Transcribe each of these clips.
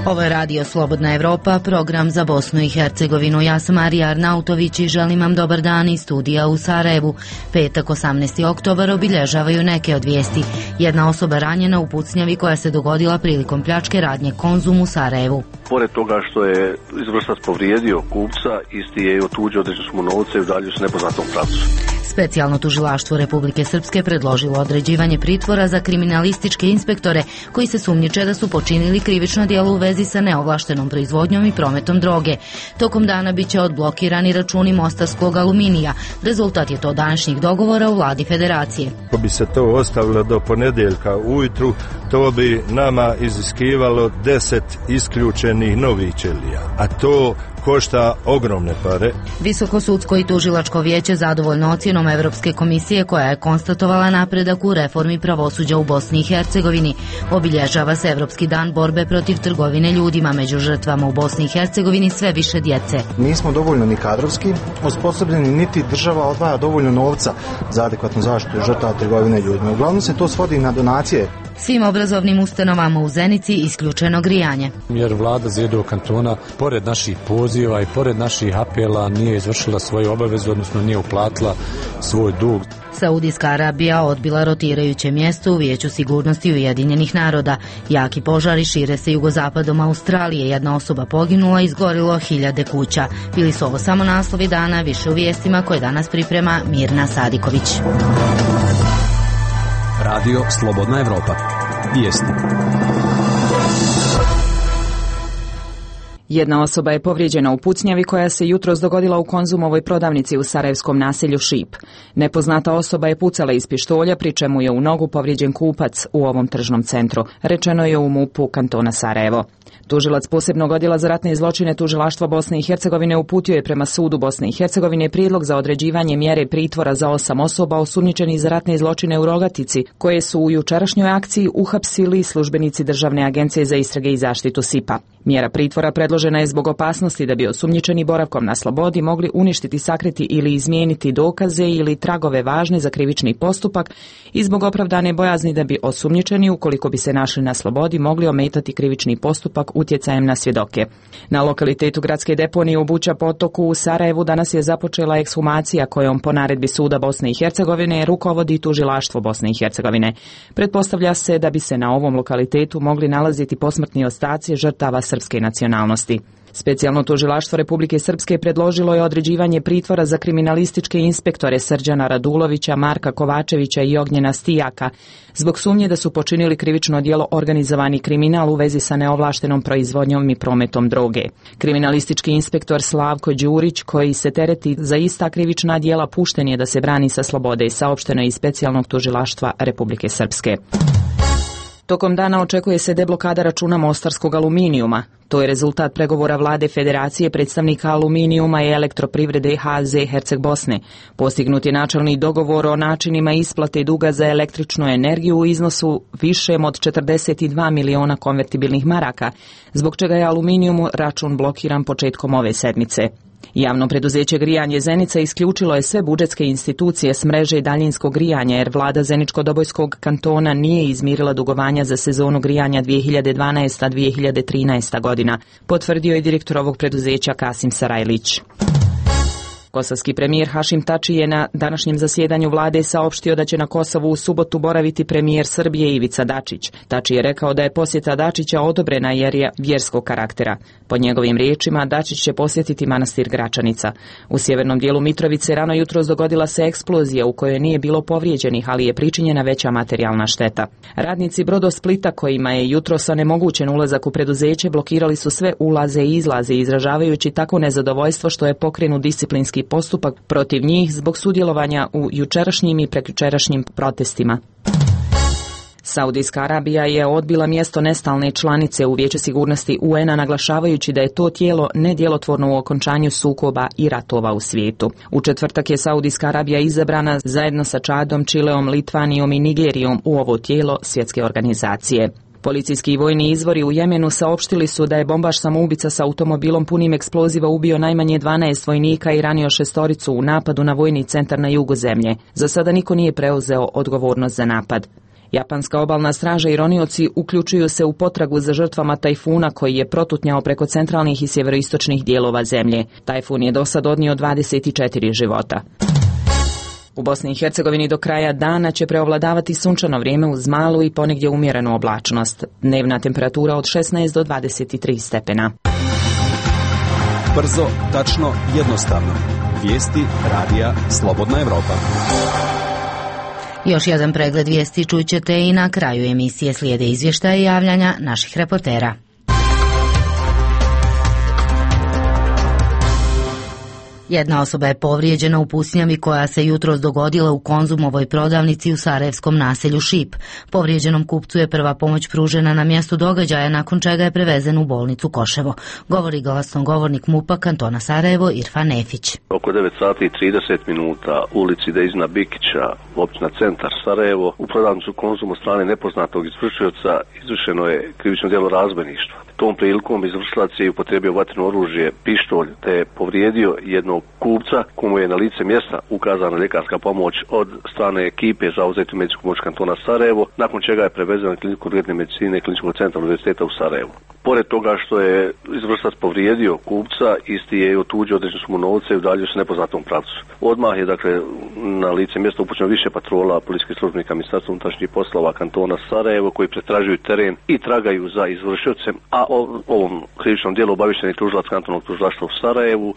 Ovo je Radio Slobodna Evropa, program za Bosnu i Hercegovinu. Ja sam Marija Arnautović i želim vam dobar dan iz studija u Sarajevu. Petak 18. oktobar obilježavaju neke od vijesti. Jedna osoba ranjena u pucnjavi koja se dogodila prilikom pljačke radnje Konzum u Sarajevu. Pored toga što je izvršilac povrijedio kupca, isti je i otuđio određene sume novca i udaljio se nepoznatom pravcu. Specijalno tužilaštvo Republike Srpske predložilo određivanje pritvora za kriminalističke inspektore koji se sumnjiče da su počinili krivično djelo u vezi sa neovlaštenom proizvodnjom i prometom droge. Tokom dana biće odblokirani računi mostarskog aluminija. Rezultat je to današnjih dogovora u vladi federacije. Ako bi se to ostavilo do ponedjeljka ujutru, to bi nama iziskivalo 10 isključenih novih ćelija, a to košta ogromne pare. Visokosudsko i tužilačko vijeće zadovoljno ocjenom Evropske komisije koja je konstatovala napredak u reformi pravosuđa u Bosni i Hercegovini. Obilježava se Evropski dan borbe protiv trgovine ljudima, među žrtvama u Bosni i Hercegovini sve više djece. Nismo dovoljno ni kadrovski osposobljeni, niti država odvaja dovoljno novca za adekvatnu zaštitu žrtava trgovine ljudima. Uglavnom se to svodi na donacije. Svim obrazovnim ustanovama u Zenici isključeno grijanje. Jer vlada Zjedovog kantona, pored naših poziva i pored naših apela, nije izvršila svoju obavezu, odnosno nije uplatila svoj dug. Saudijska Arabija odbila rotirajuće mjesto u Vijeću sigurnosti Ujedinjenih naroda. Jaki požari šire se jugozapadom Australije. Jedna osoba poginula, izgorilo 1000 kuća. Bili su ovo samo naslovi dana, više u vijestima koje danas priprema Mirna Sadiković. Radio Slobodna Evropa. Vijesti. Jedna osoba je povrijeđena u pucnjavi koja se jutros dogodila u Konzumovoj prodavnici u sarajevskom naselju Šip. Nepoznata osoba je pucala iz pištolja, pri čemu je u nogu povrijeđen kupac u ovom tržnom centru, rečeno je u MUP-u kantona Sarajevo. Tužilac posebnog odjela za ratne zločine Tužilaštva Bosne i Hercegovine uputio je prema sudu Bosne i Hercegovine prijedlog za određivanje mjere pritvora za 8 osoba osumnjičenih za ratne zločine u Rogatici, koje su u jučerašnjoj akciji uhapsili službenici Državne agencije za istrage i zaštitu SIP-a. Mjera pritvora predložena je zbog opasnosti da bi osumnjičeni boravkom na slobodi mogli uništiti, sakriti ili izmijeniti dokaze ili tragove važne za krivični postupak i zbog opravdane bojazni da bi osumnjičeni, ukoliko bi se našli na slobodi, mogli ometati krivični postupak utjecajem na svjedoke. Na lokalitetu gradske deponije u Buća potoku u Sarajevu danas je započela ekshumacija kojom po naredbi suda Bosne i Hercegovine rukovodi tužilaštvo Bosne i Hercegovine. Pretpostavlja se da bi se na ovom lokalitetu mogli nalaziti posmrtni ostaci žrtava srpske nacionalnosti. Specijalno tužilaštvo Republike Srpske predložilo je određivanje pritvora za kriminalističke inspektore Srđana Radulovića, Marka Kovačevića i Ognjena Stijaka zbog sumnje da su počinili krivično djelo organizovani kriminal u vezi sa neovlaštenom proizvodnjom i prometom droge. Kriminalistički inspektor Slavko Đurić, koji se tereti za ista krivična djela, pušten je da se brani sa slobode, saopšteno je iz Specijalnog tužilaštva Republike Srpske. Tokom dana očekuje se deblokada računa mostarskog aluminijuma. To je rezultat pregovora vlade federacije, predstavnika aluminijuma i elektroprivrede HZ Herceg Bosne. Postignut je načelni dogovor o načinima isplate duga za električnu energiju u iznosu višem od 42 miliona konvertibilnih maraka, zbog čega je aluminijumu račun blokiran početkom ove sedmice. Javno preduzeće Grijanje Zenica isključilo je sve budžetske institucije s mreže daljinskog grijanja jer vlada Zeničko-Dobojskog kantona nije izmirila dugovanja za sezonu grijanja 2012-2013 godina, potvrdio je direktor ovog preduzeća Kasim Sarajlić. Kosovski premijer Hašim Tači je na današnjem zasjedanju vlade saopštio da će na Kosovu u subotu boraviti premijer Srbije Ivica Dačić. Tači je rekao da je posjeta Dačića odobrena jer je vjerskog karaktera. Po njegovim riječima, Dačić će posjetiti manastir Gračanica. U sjevernom dijelu Mitrovice rano jutros dogodila se eksplozija u kojoj nije bilo povrijeđenih, ali je pričinjena veća materijalna šteta. Radnici Brodosplita, kojima je jutros onemogućen ulazak u preduzeće, blokirali su sve ulaze i izlaze, izražavajući tako nezadovoljstvo što je pokrenut disciplinski postupak protiv njih zbog sudjelovanja u jučerašnjim i prekjučerašnjim protestima. Saudijska Arabija je odbila mjesto nestalne članice u Vijeću sigurnosti UN-a, naglašavajući da je to tijelo nedjelotvorno u okončanju sukoba i ratova u svijetu. U četvrtak je Saudijska Arabija izabrana zajedno sa Čadom, Čileom, Litvanijom i Nigerijom u ovo tijelo svjetske organizacije. Policijski i vojni izvori u Jemenu saopštili su da je bombaš samoubica sa automobilom punim eksploziva ubio najmanje 12 vojnika i ranio 6 u napadu na vojni centar na jugu zemlje. Za sada niko nije preuzeo odgovornost za napad. Japanska obalna straža i ronioci uključuju se u potragu za žrtvama tajfuna koji je protutnjao preko centralnih i sjeveroistočnih dijelova zemlje. Tajfun je dosad odnio 24 života. U Bosni i Hercegovini do kraja dana će preovladavati sunčano vrijeme uz malu i ponegdje umjerenu oblačnost. Dnevna temperatura od 16 do 23 stepena. Brzo, tačno, jednostavno. Vijesti radija Slobodna Evropa. Još jedan pregled vijesti čućete i na kraju emisije. Slijede izvještaje i javljanja naših reportera. Jedna osoba je povrijeđena u pucnjavi koja se jutros dogodila u Konzumovoj prodavnici u sarajevskom naselju Šip. Povrijeđenom kupcu je prva pomoć pružena na mjestu događaja, nakon čega je prevezen u bolnicu Koševo. Govori glasnogovornik MUP-a kantona Sarajevo Irfan Nefić. Oko 9 sati i 30 minuta u ulici Dejzina Bikića, općina Centar Sarajevo, u prodavnicu Konzum od strane nepoznatog izvršioca izvršeno je krivično djelo razbojništva. Tom prilikom izvršilac je upotrijebio vatreno oružje, pištolj, te je povrijedio jednog kupca komu je na lice mjesta ukazana ljekarska pomoć od strane ekipe za uzetu medicinsku pomoć kantona Sarajevo, nakon čega je prevezen na kliniku urgentne medicine Kliničkog centra Univerziteta u Sarajevu. Pored toga što je izvršilac povrijedio kupca, isti je otuđio određenu sumu novca i udaljio se nepoznatom pravcu. Odmah je na lice mjesta upućeno više patrola policijskih službenika Ministarstva unutrašnjih poslova kantona Sarajevo koji pretražuju teren i tragaju za izvršiocem, a o ovom krivičnom djelu obavješten je tužilac kantonalnog tužilaštva u Sarajevu.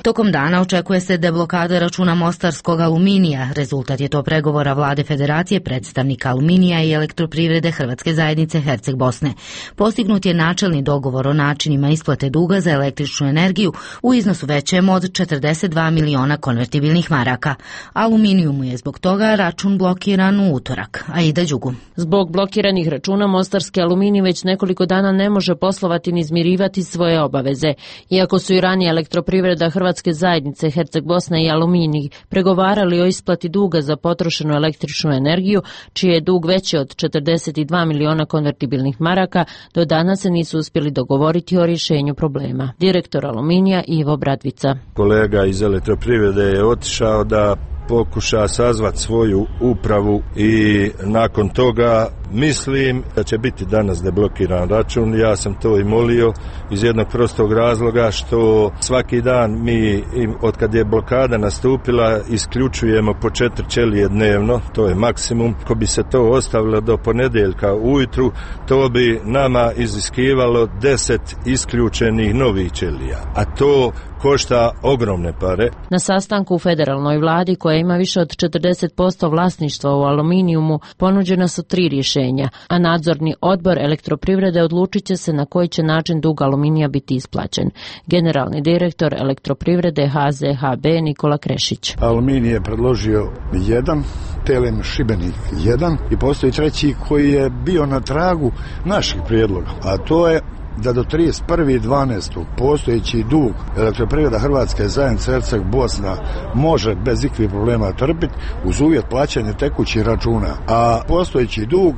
Tokom dana očekuje se deblokada računa mostarskog aluminija. Rezultat je to pregovora Vlade Federacije, predstavnika aluminija i elektroprivrede Hrvatske zajednice Herceg Bosne. Postignut je načelni dogovor o načinima isplate duga za električnu energiju u iznosu većem od 42 miliona konvertibilnih maraka. Aluminijumu je zbog toga račun blokiran u utorak. Aida Đugum. Zbog blokiranih računa mostarski aluminij već nekoliko dana ne može poslovati ni izmirivati svoje obaveze. Iako su i ranije elektroprivreda Hrvatske zajednice Herceg Bosna i Aluminij pregovarali o isplati duga za potrošenu električnu energiju, čiji je dug veći od 42 miliona konvertibilnih maraka, do danas se nisu uspjeli dogovoriti o rješenju problema. Direktor Aluminija Ivo Bradvica. Kolega iz elektroprivrede je otišao da pokuša sazvat svoju upravu i nakon toga mislim da će biti danas deblokiran račun. Ja sam to i molio iz jednog prostog razloga što svaki dan mi, od kad je blokada nastupila, isključujemo po 4 ćelije dnevno, to je maksimum. Ako bi se to ostavilo do ponedjeljka ujutru, to bi nama iziskivalo 10 isključenih novih ćelija, a to košta ogromne pare. Na sastanku u federalnoj vladi, koja ima više od 40% vlasništva u aluminijumu, ponuđena su 3 rješenja, a nadzorni odbor elektroprivrede odlučit će se na koji će način dug aluminija biti isplaćen. Generalni direktor elektroprivrede HZHB Nikola Krešić. Aluminij je predložio 1, TLM Šibenik 1 i postoji treći koji je bio na tragu naših prijedloga, a to je da do 31.12. postojeći dug elektroprivreda Hrvatske zajednice Herceg Bosna može bez ikakvih problema trpiti uz uvjet plaćanja tekućih računa, a postojeći dug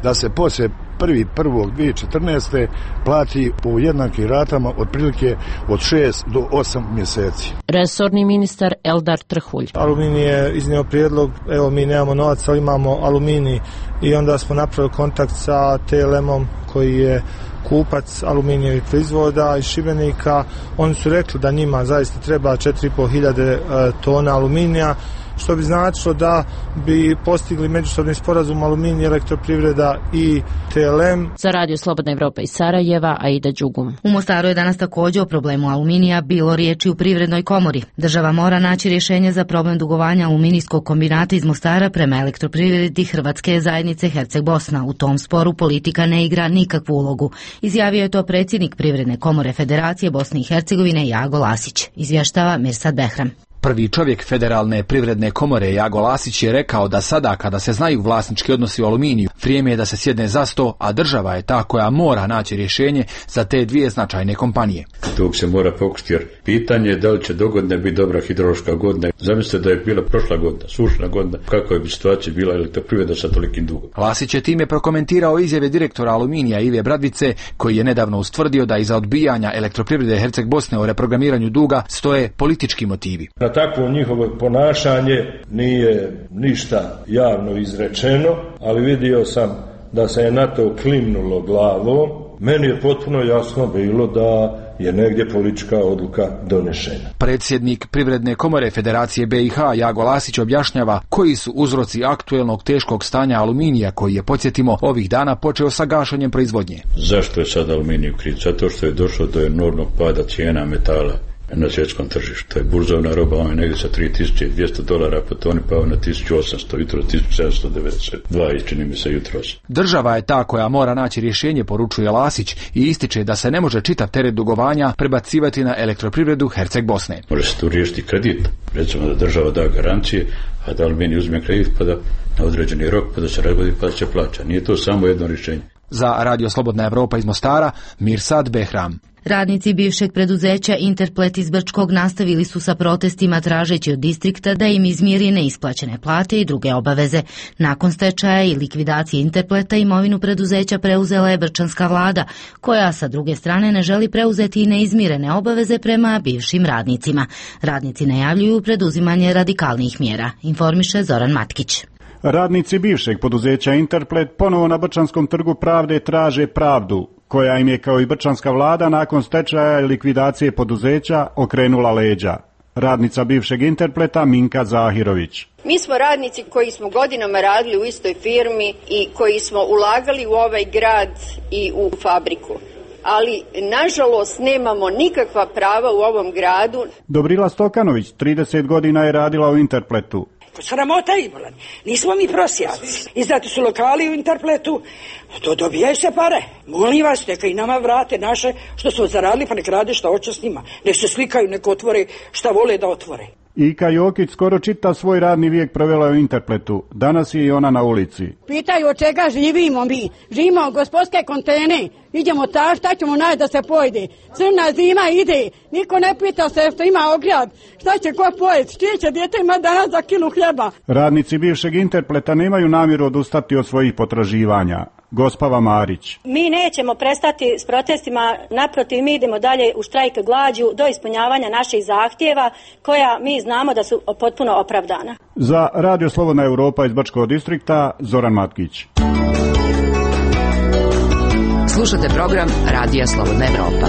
da se poslije 1.1.2014. plati po jednakim ratama otprilike od 6 do 8 mjeseci. Resorni ministar Eldar Trhulj. Aluminij je iznio prijedlog, evo mi nemamo novac, ali imamo aluminij, i onda smo napravili kontakt sa TLM-om koji je kupac aluminijevih proizvoda iz Šibenika. Oni su rekli da njima zaista treba 4.500 tona aluminija, što bi značilo da bi postigli međusobni sporazum Aluminij, elektroprivreda i TLM. Za Radio Slobodna Evropa iz Sarajeva, Aida Đugum. U Mostaru je danas također o problemu aluminija bilo riječi u Privrednoj komori. Država mora naći rješenje za problem dugovanja aluminijskog kombinata iz Mostara prema elektroprivredi Hrvatske zajednice Herceg Bosna. U tom sporu politika ne igra nikakvu ulogu. Izjavio je to predsjednik Privredne komore Federacije Bosne i Hercegovine Jago Lasić. Izvještava Mirsad Behram. Prvi čovjek Federalne privredne komore Jago Lasić je rekao da sada kada se znaju vlasnički odnosi u aluminiju, vrijeme je da se sjedne za sto, a država je ta koja mora naći rješenje za te dvije značajne kompanije. Tu se mora pokušati jer pitanje je da li će dogodine biti dobra hidrološka godina. Zamislite da je bila prošla godina, sušna godina, kakva bi situacija bila elektroprivreda sa tolikim dugom. Lasić je time prokomentirao izjave direktora Aluminija Ive Bradvice, koji je nedavno ustvrdio da iza odbijanja elektroprivrede Herceg Bosne o reprogramiranju duga stoje politički motivi. Za takvo njihovo ponašanje nije ništa javno izrečeno, ali vidio sam da se je na to klimnulo glavom. Meni je potpuno jasno bilo da je negdje politička odluka donešena. Predsjednik Privredne komore Federacije BiH Jago Lasić objašnjava koji su uzroci aktuelnog teškog stanja aluminija koji je, podsjetimo, ovih dana počeo sa gašenjem proizvodnje. Zašto je sad aluminij u krizi? Zato što je došlo do enormnog pada cijena metala na svjetskom tržištu. To je burzovna roba, on je negdje sa $3.200 po toni pao na 1.800, jutro 1.792 i čini mi se jutros. Država je ta koja mora naći rješenje, poručuje Lasić, i ističe da se ne može čitav teret dugovanja prebacivati na elektroprivredu Herceg Bosne. Može se tu riješiti kredit, recimo da država da garancije, a da Aluminij uzme kredit pa da na određeni rok pa da se razgodi pa da se plaća. Nije to samo jedno rješenje. Za Radio Slobodna Evropa iz Mostara, Mirsad Behram. Radnici bivšeg preduzeća Interplet iz Brčkog nastavili su sa protestima tražeći od distrikta da im izmiri neisplaćene plate i druge obaveze. Nakon stečaja i likvidacije Interpleta imovinu preduzeća preuzela je brčanska vlada, koja sa druge strane ne želi preuzeti i neizmirene obaveze prema bivšim radnicima. Radnici najavljuju preduzimanje radikalnih mjera, informiše Zoran Matkić. Radnici bivšeg poduzeća Interplet ponovo na Brčanskom trgu pravde traže pravdu, koja im je kao i brčanska vlada nakon stečaja i likvidacije poduzeća okrenula leđa. Radnica bivšeg Interpleta Minka Zahirović. Mi smo radnici koji smo godinama radili u istoj firmi i koji smo ulagali u ovaj grad i u fabriku. Ali, nažalost, nemamo nikakva prava u ovom gradu. Dobrila Stokanović 30 godina je radila u Interpletu. Sramota imala. Nismo mi prosjaci. Izdati su lokali u Interpletu, to dobijaju se pare. Molim vas, neka i nama vrate naše što smo zaradili, pa nek rade šta hoće s njima. Nek se slikaju, nek otvore šta vole da otvore. Ika Jokić skoro čitav svoj radni vijek provela u Interpletu. Danas je i ona na ulici. Pitaju od čega živimo mi. Živimo od gospodske kontene. Idemo ta, šta ćemo naći da se pojede. Crna zima ide. Niko ne pita se što ima ograd. Šta će ko pojesti? Čije će dijete ima danas za kilu hljeba? Radnici bivšeg Interpleta nemaju namjeru odustati od svojih potraživanja. Gospava Marić. Mi nećemo prestati s protestima, naprotiv mi idemo dalje u štrajk glađu do ispunjavanja naših zahtjeva koja mi znamo da su potpuno opravdana. Za Radio Slobodna Evropa iz Brčkog distrikta, Zoran Matkić. Slušate program Radija Slobodna Evropa.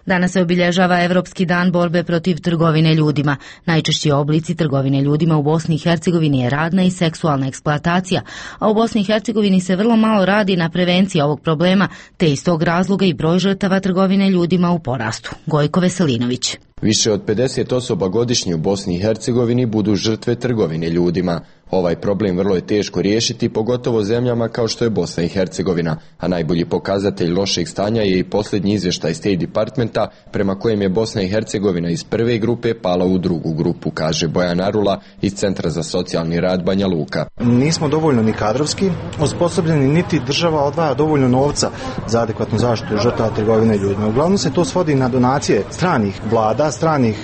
Danas se obilježava Evropski dan borbe protiv trgovine ljudima. Najčešći oblici trgovine ljudima u Bosni i Hercegovini je radna i seksualna eksploatacija, a u Bosni i Hercegovini se vrlo malo radi na prevenciji ovog problema, te iz tog razloga i broj žrtava trgovine ljudima u porastu. Gojko Veselinović. Više od 50 osoba godišnje u Bosni i Hercegovini budu žrtve trgovine ljudima. Ovaj problem vrlo je teško riješiti, pogotovo zemljama kao što je Bosna i Hercegovina, a najbolji pokazatelj lošeg stanja je i posljednji izvještaj State Departmenta, prema kojem je Bosna i Hercegovina iz prve grupe pala u drugu grupu, kaže Bojan Arula iz Centra za socijalni rad Banja Luka. Nismo dovoljno ni kadrovski osposobljeni, niti država odvaja dovoljno novca za adekvatnu zaštitu žrtava trgovine ljudima. Uglavnom se to svodi na donacije stranih vlada, stranih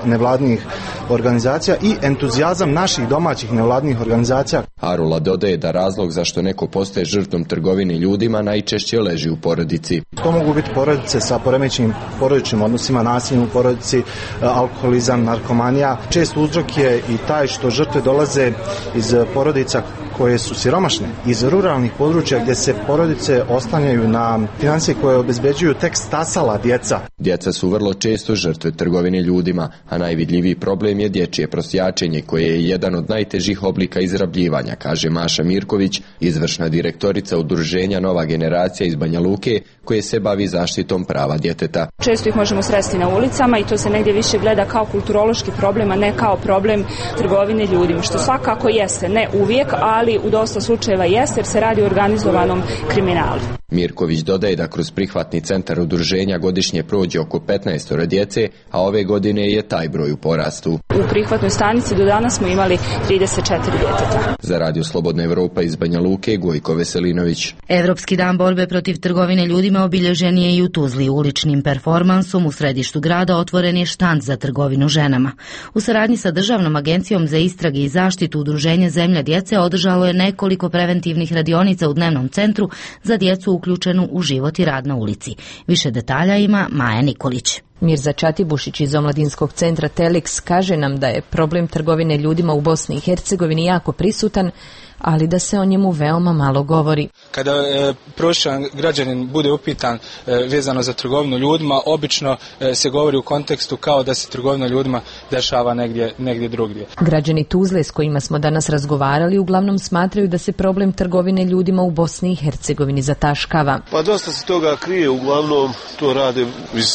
nevladnih organizacija i entuzijazam naših domaćih nevladnih organizacija. Arula dodaje da razlog zašto neko postaje žrtvom trgovine ljudima najčešće leži u porodici. To mogu biti porodice sa poremećenim porodičnim odnosima, nasiljem u porodici, alkoholizam, narkomanija. Čest uzrok je i taj što žrtve dolaze iz porodica koje su siromašne, iz ruralnih područja gdje se porodice oslanjaju na financije koje obezbeđuju tek stasala djeca. Djeca su vrlo često žrtve trgovine ljudima, a najvidljiviji problem je dječje prosjačenje koje je jedan od najtežih oblika izrabljivanja, kaže Maša Mirković, izvršna direktorica udruženja Nova generacija iz Banja Luke koje se bavi zaštitom prava djeteta. Često ih možemo sresti na ulicama i to se negdje više gleda kao kulturološki problem, a ne kao problem trgovine ljudima, što svakako jeste, ne uvijek, ali u dosta slučajeva jeste jer se radi o organizovanom kriminalu. Mirković dodaje da kroz prihvatni centar udruženja godišnje prođe oko 15 djece, a ove godine je taj broj u porastu. U prihvatnoj stanici do danas smo imali 34 djeteta. Za Radio Slobodna Evropa iz Banja Luke, Gojko Veselinović. Evropski dan borbe protiv trgovine ljudima obilježen je i u Tuzli. Uličnim performansom u središtu grada otvoren je štand za trgovinu ženama. U saradnji sa Državnom agencijom za istrage i zaštitu udruženje Zemlja djece održalo je nekoliko preventivnih radionica u dnevnom centru za djecu uključenu u život i rad na ulici. Više detalja ima Maja Nikolić. Mirza Čatibušić iz omladinskog centra Telex kaže nam da je problem trgovine ljudima u Bosni i Hercegovini jako prisutan, ali da se o njemu veoma malo govori. Kada prosječan građanin bude upitan vezano za trgovinu ljudima, obično se govori u kontekstu kao da se trgovina ljudima dešava negdje drugdje. Građani Tuzle s kojima smo danas razgovarali uglavnom smatraju da se problem trgovine ljudima u Bosni i Hercegovini zataškava. Pa dosta se toga krije, uglavnom to rade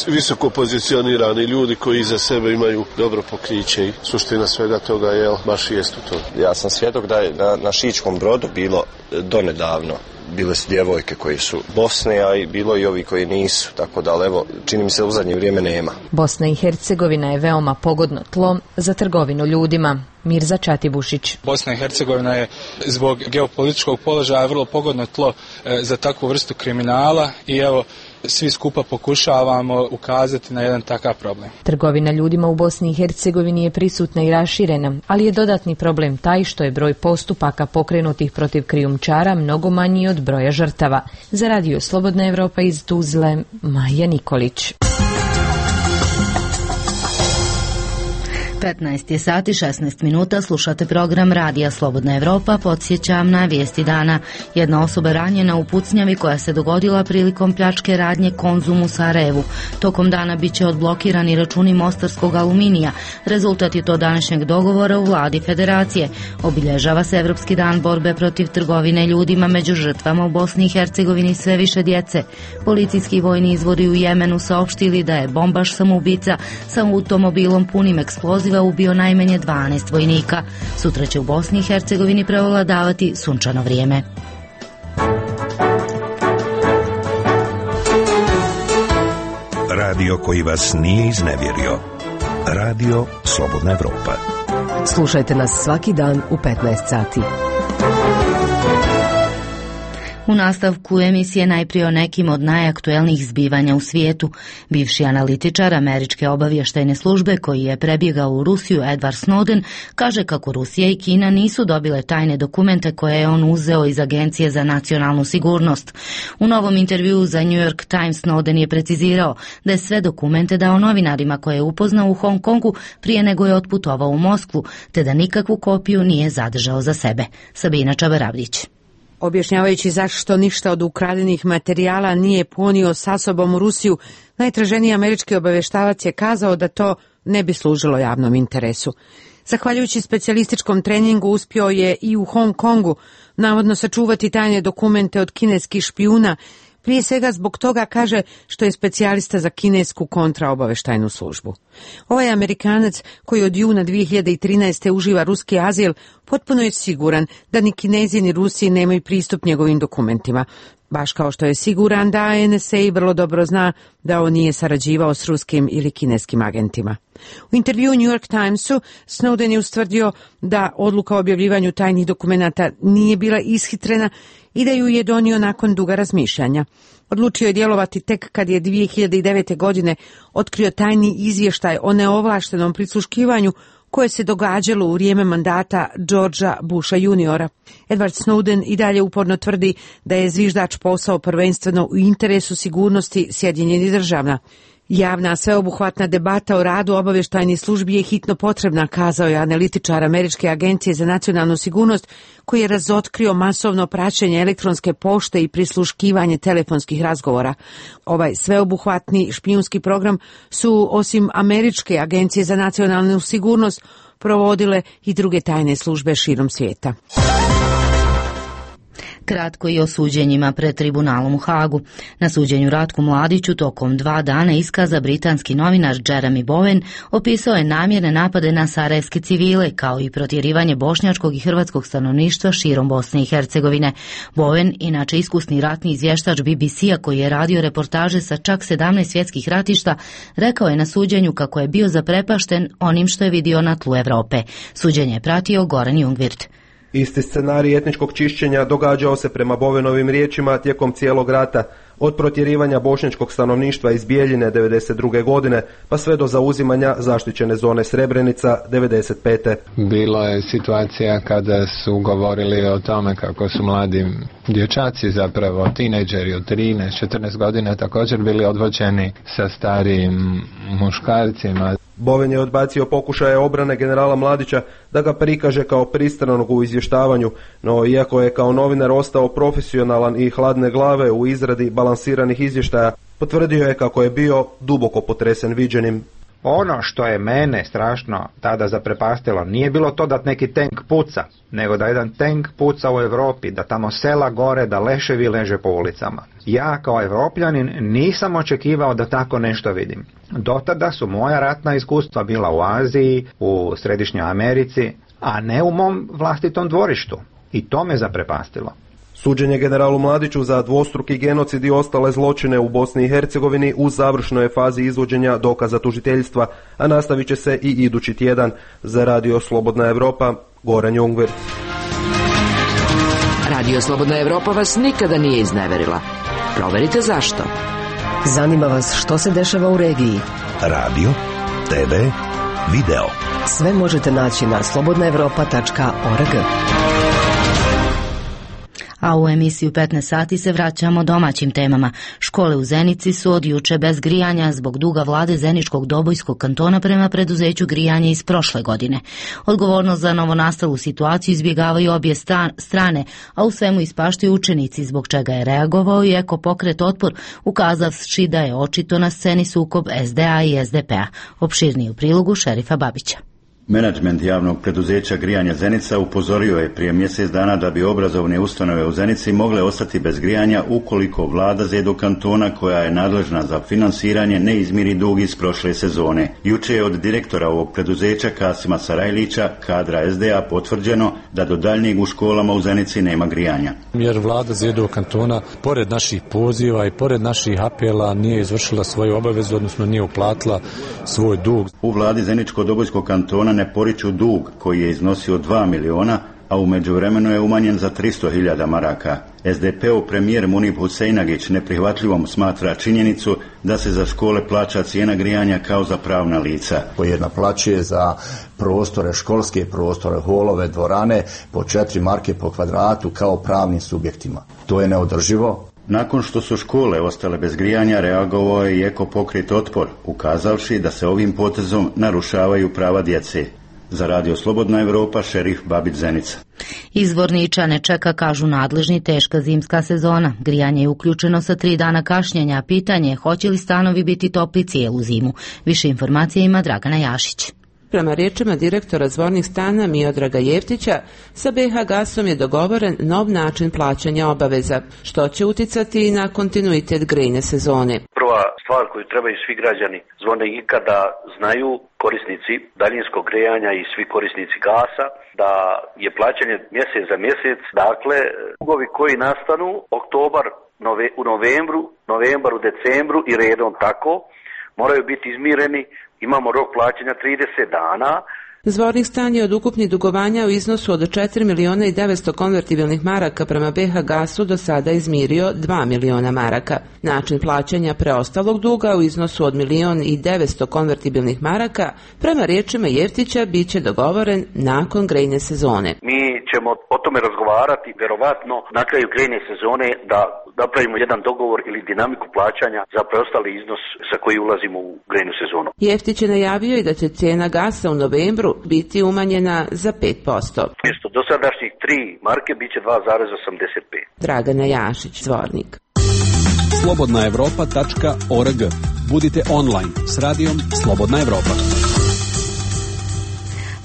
visoko pozicionirani ljudi koji iza sebe imaju dobro pokriće i suština svega toga je baš jest u to. Ja sam svjedok da je na Šičkom brodu bilo donedavno. Bile su djevojke koji su Bosne, a i bilo i ovi koji nisu, tako da evo, čini mi se u zadnje vrijeme nema. Bosna i Hercegovina je veoma pogodno tlo za trgovinu ljudima. Mirza Čatibušić. Bosna i Hercegovina je zbog geopolitičkog položaja vrlo pogodno tlo za takvu vrstu kriminala i evo, svi skupa pokušavamo ukazati na jedan takav problem. Trgovina ljudima u Bosni i Hercegovini je prisutna i raširena, ali je dodatni problem taj što je broj postupaka pokrenutih protiv krijumčara mnogo manji od broja žrtava. Za Radio Slobodna Evropa iz Tuzle, Maja Nikolić. 15 je sati 16 minuta, slušate program Radija Slobodna Evropa. Podsjećam na vijesti dana. Jedna osoba ranjena u pucnjavi koja se dogodila prilikom pljačke radnje Konzum u Sarajevu. Tokom dana bit će odblokirani računi mostarskog aluminija. Rezultat je to današnjeg dogovora u vladi federacije. Obilježava se Evropski dan borbe protiv trgovine ljudima, među žrtvama u Bosni i Hercegovini sve više djece. Policijski i vojni izvori u Jemenu saopštili da je bombaš samoubica sa automobilom punim eksploziva ubio najmanje 12 vojnika. Sutra će u Bosni i Hercegovini prevladavati sunčano vrijeme. Radio koji vas nije iznevjerio. Radio Slobodna Evropa. Slušajte nas svaki dan u 15 sati. U nastavku emisije najprije o nekim od najaktuelnijih zbivanja u svijetu. Bivši analitičar američke obavještajne službe koji je prebjegao u Rusiju, Edward Snowden, kaže kako Rusija i Kina nisu dobile tajne dokumente koje je on uzeo iz Agencije za nacionalnu sigurnost. U novom intervjuu za New York Times Snowden je precizirao da je sve dokumente dao novinarima koje je upoznao u Hong Kongu prije nego je otputovao u Moskvu, te da nikakvu kopiju nije zadržao za sebe. Sabina Čabaravdić. Objašnjavajući zašto ništa od ukradenih materijala nije ponio sa sobom u Rusiju, najtraženiji američki obaveštavac je kazao da to ne bi služilo javnom interesu. Zahvaljujući specijalističkom treningu uspio je i u Hong Kongu navodno sačuvati tajne dokumente od kineskih špijuna, prije svega zbog toga, kaže, što je specijalista za kinesku kontraobaveštajnu službu. Ovaj Amerikanac, koji od juna 2013. uživa ruski azil, potpuno je siguran da ni Kinezi ni Rusi nemaju pristup njegovim dokumentima. Baš kao što je siguran da NSA vrlo dobro zna da on nije sarađivao s ruskim ili kineskim agentima. U intervjuu New York Timesu Snowden je ustvrdio da odluka o objavljivanju tajnih dokumenata nije bila ishitrena i da ju je donio nakon duga razmišljanja. Odlučio je djelovati tek kad je 2009. godine otkrio tajni izvještaj o neovlaštenom prisluškivanju koje se događalo u vrijeme mandata Georgea Busha juniora. Edward Snowden i dalje uporno tvrdi da je zviždač posao prvenstveno u interesu sigurnosti Sjedinjenih Država. Javna sveobuhvatna debata o radu obavještajnih službi je hitno potrebna, kazao je analitičar Američke agencije za nacionalnu sigurnost, koji je razotkrio masovno praćenje elektronske pošte i prisluškivanje telefonskih razgovora. Ovaj sveobuhvatni špijunski program su, osim Američke agencije za nacionalnu sigurnost, provodile i druge tajne službe širom svijeta. Kratko i o suđenjima pred tribunalom u Hagu. Na suđenju Ratku Mladiću tokom 2 dana iskaza britanski novinar Jeremy Bowen opisao je namjerne napade na sarajevske civile, kao i protjerivanje bošnjačkog i hrvatskog stanovništva širom Bosne i Hercegovine. Bowen, inače iskusni ratni izvještač BBC-a koji je radio reportaže sa čak 17 svjetskih ratišta, rekao je na suđenju kako je bio zaprepašten onim što je vidio na tlu Evrope. Suđenje je pratio Goran Jungvirt. Isti scenarij etničkog čišćenja događao se prema Bowenovim riječima tijekom cijelog rata. od protjerivanja bošnjačkog stanovništva iz Bijeljine 1992. godine pa sve do zauzimanja zaštićene zone Srebrenica 1995. Bilo je situacija kada su govorili o tome kako su mladi dječaci, zapravo tinejdžeri od 13-14 godina također bili odvođeni sa starijim muškarcima. Boven je odbacio pokušaje obrane generala Mladića da ga prikaže kao pristranog u izvještavanju, no iako je kao novinar ostao profesionalan i hladne glave u izradi balansiranih izvještaja, potvrdio je kako je bio duboko potresen viđenim. Ono što je mene strašno tada zaprepastilo nije bilo to da neki tank puca, nego da jedan tank puca u Europi, da tamo sela gore, da leševi leže po ulicama. Ja kao Evropljanin nisam očekivao da tako nešto vidim. Do tada su moja ratna iskustva bila u Aziji, u Središnjoj Americi, a ne u mom vlastitom dvorištu. I to me zaprepastilo. Suđenje generalu Mladiću za dvostruki genocid i ostale zločine u Bosni i Hercegovini u završnoj je fazi izvođenja dokaza tužiteljstva, a nastavit će se i idući tjedan. Za Radio Slobodna Evropa, Goran Jungvir. Radio Slobodna Evropa vas nikada nije izneverila. Proverite zašto. Zanima vas što se dešava u regiji. Radio, TV, video. Sve možete naći na slobodnaevropa.org. A u emisiju 15 sati se vraćamo domaćim temama. Škole u Zenici su od juče bez grijanja zbog duga vlade Zeničkog Dobojskog kantona prema preduzeću grijanja iz prošle godine. Odgovornost za novonastalu situaciju izbjegavaju obje strane, a u svemu ispaštaju učenici, zbog čega je reagovao i Ekopokret Otpor, ukazavši da je očito na sceni sukob SDA i SDP-a. Opširnije u prilogu Šerifa Babića. Menadžment javnog preduzeća grijanja Zenica upozorio je prije mjesec dana da bi obrazovne ustanove u Zenici mogle ostati bez grijanja ukoliko vlada ZEDO kantona, koja je nadležna za finansiranje, ne izmiri dug iz prošle sezone. Juče je od direktora ovog preduzeća Kasima Sarajlića, kadra SDA, potvrđeno da do daljnjeg u školama u Zenici nema grijanja. Jer vlada ZEDO kantona, pored naših poziva i pored naših apela, nije izvršila svoju obavezu, odnosno nije uplatila svoj dug. U vladi Zeničko-Dobojskog kantona ne poriču dug koji je iznosio 2 miliona, a u međuvremenu je umanjen za 300.000 maraka. SDP-ov premijer Munib Husejnagić neprihvatljivom smatra činjenicu da se za škole plaća cijena grijanja kao za pravna lica. Koji naplaćuje za prostore, školske prostore, holove, dvorane po 4 marke po kvadratu kao pravnim subjektima. To je neodrživo. Nakon što su škole ostale bez grijanja, reagovao je i Ekopokret Otpor, ukazavši da se ovim potezom narušavaju prava djece. Za Radio Slobodna Evropa, Šerif Babić, Zenica. Izvorniča ne čeka, kažu nadležni, teška zimska sezona. Grijanje je uključeno sa 3 dana kašnjenja, a pitanje je hoće li stanovi biti topli cijelu zimu. Više informacija ima Dragana Jašić. Prema riječima direktora zvornih stana Miodraga Jeftića, sa BH Gasom je dogovoren nov način plaćanja obaveza, što će uticati i na kontinuitet grejne sezone. Prva stvar koju trebaju svi građani Zvornika da znaju, korisnici daljinskog grejanja i svi korisnici gasa, da je plaćanje mjesec za mjesec, dakle, dugovi koji nastanu oktobar u novembar u decembru i redom tako, moraju biti izmireni. Imamo rok plaćanja 30 dana. Zvornik stan je od ukupnih dugovanja u iznosu od 4.900.000 konvertibilnih maraka prema BH Gasu do sada izmirio 2 miliona maraka. Način plaćanja preostalog duga u iznosu od 1.900.000 konvertibilnih maraka prema riječima Jeftića bit će dogovoren nakon grejne sezone. Mi ćemo o tome razgovarati vjerovatno na kraju grejne sezone da napravimo jedan dogovor ili dinamiku plaćanja za preostali iznos sa koji ulazimo u grejnu sezonu. Jeftić je najavio i da će cijena gasa u novembru biti umanjena za 5%. Mjesto dosadašnjih 3 marke bit će 2,85. Dragana Jašić, Zvornik. Slobodnaevropa.org. Budite online s radijom Slobodna Evropa.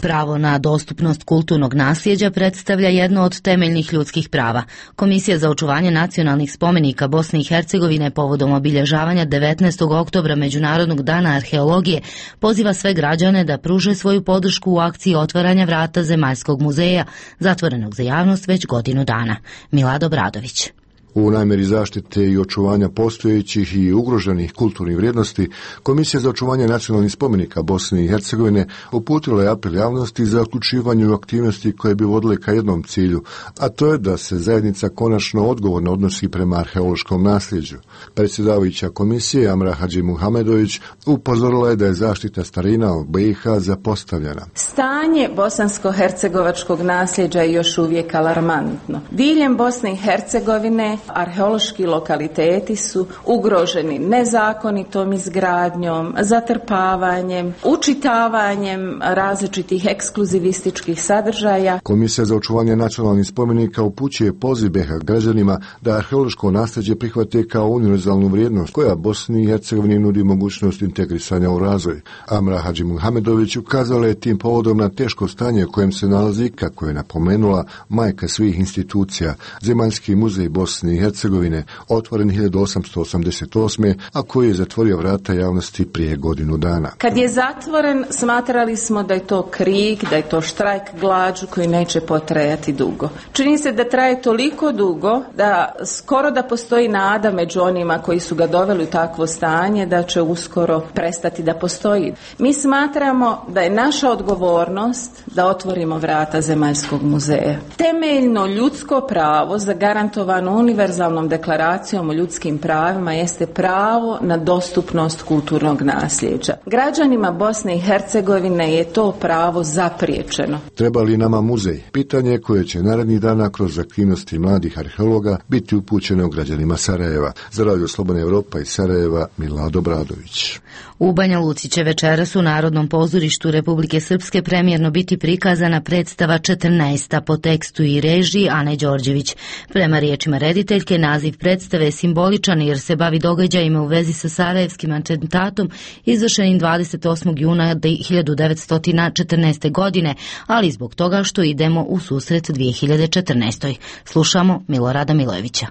Pravo na dostupnost kulturnog nasljeđa predstavlja jedno od temeljnih ljudskih prava. Komisija za očuvanje nacionalnih spomenika Bosne i Hercegovine povodom obilježavanja 19. oktobra Međunarodnog dana arheologije poziva sve građane da pruže svoju podršku u akciji otvaranja vrata Zemaljskog muzeja, zatvorenog za javnost već godinu dana. Milad Obradović. U namjeri zaštite i očuvanja postojećih i ugroženih kulturnih vrijednosti, Komisija za očuvanje nacionalnih spomenika Bosne i Hercegovine uputila je apel javnosti za uključivanje u aktivnosti koje bi vodile ka jednom cilju, a to je da se zajednica konačno odgovorno odnosi prema arheološkom nasljeđu. Predsjedavajuća komisije Amra Hadži Muhamedović upozorila je da je zaštita starina u BiH zapostavljena. Stanje bosansko-hercegovačkog nasljeđa je još uvijek alarmantno. Diljem Bosne i Hercegovine arheološki lokaliteti su ugroženi nezakonitom izgradnjom, zatrpavanjem, učitavanjem različitih ekskluzivističkih sadržaja. Komisija za očuvanje nacionalnih spomenika upućuje poziv BiH građanima da arheološko nasljeđe prihvate kao univerzalnu vrijednost koja Bosni i Hercegovini nudi mogućnost integrisanja u razvoj. Amra Hadži Muhamedović ukazala je tim povodom na teško stanje u kojem se nalazi, kako je napomenula, majka svih institucija, Zemaljski muzej Bosne i Hercegovine, otvoren 1888. a koji je zatvorio vrata javnosti prije godinu dana. Kad je zatvoren, smatrali smo da je to krik, da je to štrajk glađu koji neće potrajati dugo. Čini se da traje toliko dugo da skoro da postoji nada među onima koji su ga doveli u takvo stanje da će uskoro prestati da postoji. Mi smatramo da je naša odgovornost da otvorimo vrata Zemaljskog muzeja. Temeljno ljudsko pravo zagarantovano univerzalnom deklaracijom o ljudskim pravima jeste pravo na dostupnost kulturnog nasljeđa. Građanima Bosne i Hercegovine je to pravo zapriječeno. Treba li nama muzej? Pitanje koje će narednih dana kroz aktivnosti mladih arheologa biti upućeno građanima Sarajeva. Za Radio Slobodna Evropa iz Sarajeva, Milado Bradović. U Banja Luci će večeras u Narodnom pozorištu Republike Srpske premijerno biti prikazana predstava 14. po tekstu i režiji Ane Đorđević. Prema riječima rediteljke, naziv predstave je simboličan jer se bavi događajima u vezi sa sarajevskim atentatom izvršenim 28. juna 1914. godine, ali zbog toga što idemo u susret 2014. Slušamo Milorada Milojevića.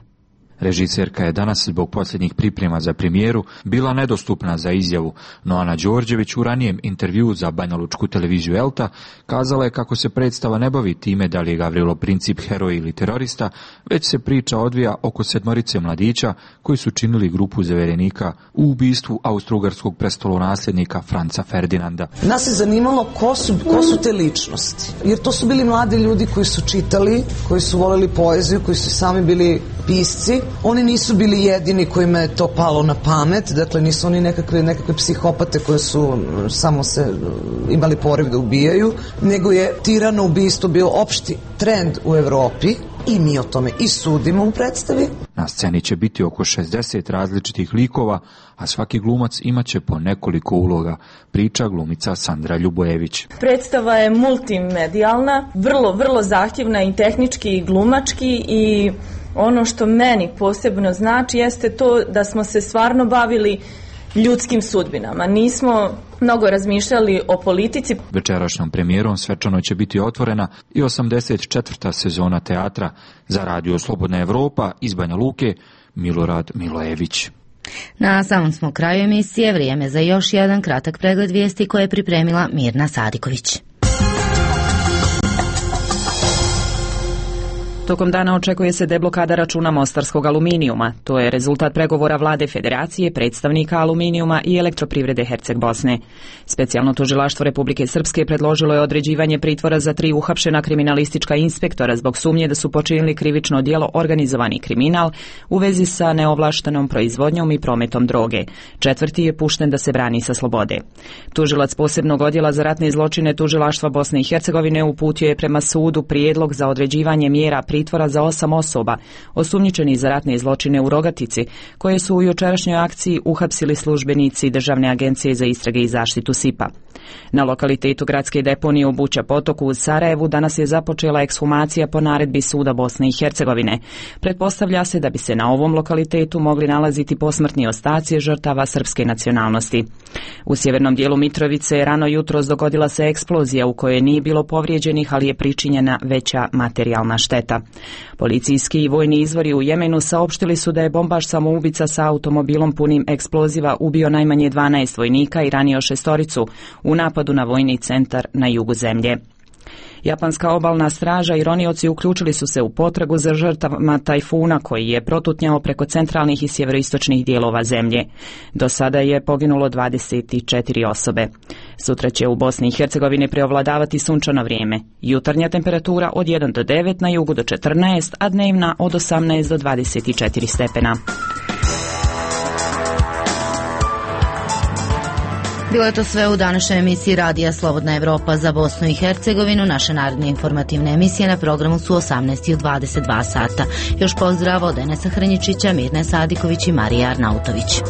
Režiserka je danas zbog posljednjih priprema za premijeru bila nedostupna za izjavu, no Ana Đorđević u ranijem intervjuu za banjalučku televiziju Elta kazala je kako se predstava ne bavi time da li je Gavrilo Princip heroj ili terorista, već se priča odvija oko 7 mladića koji su činili grupu zaverenika u ubistvu austrougarskog prestolonasljednika Franca Ferdinanda. Nas je zanimalo ko su te ličnosti, jer to su bili mladi ljudi koji su čitali, koji su voleli poeziju, koji su sami bili pisci. Oni nisu bili jedini kojima je to palo na pamet, dakle nisu oni nekakve psihopate koje su samo se imali poriv da ubijaju, nego je tirano ubistvo bio opšti trend u Evropi i mi o tome i sudimo u predstavi. Na sceni će biti oko 60 različitih likova, a svaki glumac imaće po nekoliko uloga, priča glumica Sandra Ljubojević. Predstava je multimedijalna, vrlo zahtjevna i tehnički i glumački i ono što meni posebno znači jeste to da smo se stvarno bavili ljudskim sudbinama. Nismo mnogo razmišljali o politici. Večerašnjom premijerom svečano će biti otvorena i 84. sezona teatra. Za Radio Slobodna Evropa iz Banja Luke, Milorad Milojević. Na samom smo kraju emisije, vrijeme za još jedan kratak pregled vijesti koje je pripremila Mirna Sadiković. Tokom dana očekuje se deblokada računa mostarskog aluminijuma. To je rezultat pregovora vlade Federacije, predstavnika aluminijuma i elektroprivrede Herceg Bosne. Specijalno tužilaštvo Republike Srpske predložilo je određivanje pritvora za 3 uhapšena kriminalistička inspektora zbog sumnje da su počinili krivično djelo organizovani kriminal u vezi sa neovlaštenom proizvodnjom i prometom droge. 4. je pušten da se brani sa slobode. Tužilac posebnog odjela za ratne zločine tužilaštva Bosne i Hercegovine uputio je prema sudu prijedlog za određivanje mjera pritvora za 8 osoba osumnjičeni za ratne zločine u Rogatici, koje su u jučerašnjoj akciji uhapsili službenici Državne agencije za istrage i zaštitu SIP-a. Na lokalitetu gradske deponije u Buća potoku u Sarajevu danas je započela ekshumacija po naredbi Suda Bosne i Hercegovine. Pretpostavlja se da bi se na ovom lokalitetu mogli nalaziti posmrtni ostaci žrtava srpske nacionalnosti. U sjevernom dijelu Mitrovice rano jutros dogodila se eksplozija u kojoj nije bilo povrijeđenih, ali je pričinjena veća materijalna šteta. Policijski i vojni izvori u Jemenu saopštili su da je bombaš samoubica sa automobilom punim eksploziva ubio najmanje 12 vojnika i ranio 6 u napadu na vojni centar na jugu zemlje. Japanska obalna straža i ronioci uključili su se u potragu za žrtvama tajfuna koji je protutnjao preko centralnih i sjeveroistočnih dijelova zemlje. Do sada je poginulo 24 osobe. Sutra će u Bosni i Hercegovini preovladavati sunčano vrijeme. Jutarnja temperatura od 1 do 9, na jugu do 14, a dnevna od 18 do 24 stepena. Bilo je to sve u današnjoj emisiji Radija Slobodna Evropa za Bosnu i Hercegovinu. Naše naredne informativne emisije na programu su 18:22 sata. Još pozdrav od Enesa Hrnjičića, Mirne Sadiković i Marije Arnautović.